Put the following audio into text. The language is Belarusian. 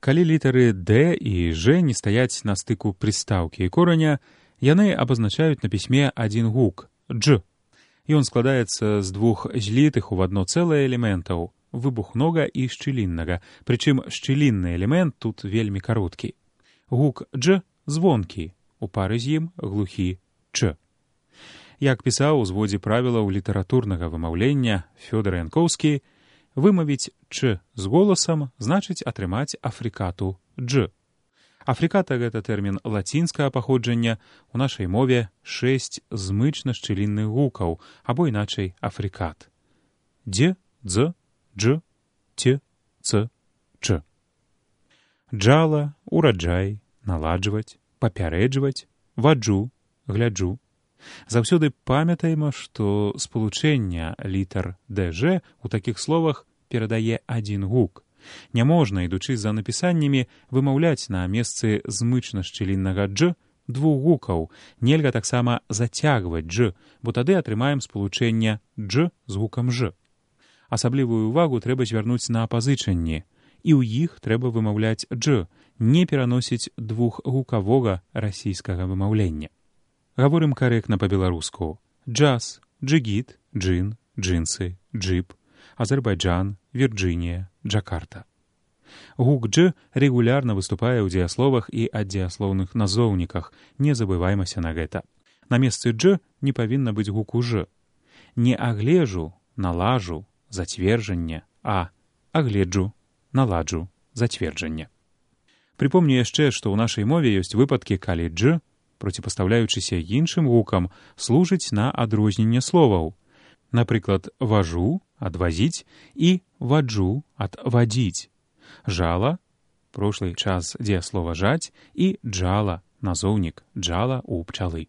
Калі літары «д» і «ж» не стаяць на стыку прыстаўкі і кораня, яны абазначаюць на пісьме адзін гук – «дж». Ён складаецца з двух злітых у адно цэлае элементаў – выбухнога і шчыліннага, прычым шчылінны элемент тут вельмі кароткі. Гук «дж» звонкі, у пары з ім глухі «ч». Як пісаў у зводзе правілаў літаратурнага вымаўлення Фёдор Янкоўскі, вымавіць «ч» з голасам значыць атрымаць афрыкату «дж». Афрыката – гэта тэрмін лацінскага паходжання, у нашай мове 6 змычна-шчылінных гукаў, або іначай афрыкат. Дзе, дз, дж, це, ц, ч. Джала, ураджай, наладжваць, папярэджваць, ваджу, гляджу. Заўсёды памятаем, што спалучэнне літар «дж» у такіх словах перадае адзін гук. Няможна, ідучы за напісаннямі, вымаўляць на месцы змычна-шчыліннага «дж» двух гукаў. Нельга таксама зацягваць «дж», бо тады атрымаем спалучэнне «дж» з гукам «ж». Асаблівую ўвагу трэба звярнуць на апазычанні, і ў іх трэба вымаўляць «дж», не пераносіць двухгукавога расійскага вымаўлення. Гаворым карэктна па-беларуску. Джаз, джигіт, джин, джинсы, джип, Азербайджан, Вірджынія, Джакарта. Гук «дж» рэгулярна выступае ў дзеясловах і аддзеяслоўных назоўніках, не забываймася на гэта. На месцы «дж» не павінна быць гуку «ж». Не аглежу, налажу, зацверджанне, а агледжу, наладжу, зацверджанне. Припомню яшчэ, што ў нашай мове ёсць выпадкі, калі «дж», проціпастаўляючыся іншым гукам, служыць на адрозненне словаў. Напрыклад, важу – адвазіць і ваджу – адвадзіць. Жала – прошлый час дзеяслова жаць і джала – назоўнік джала у пчалы.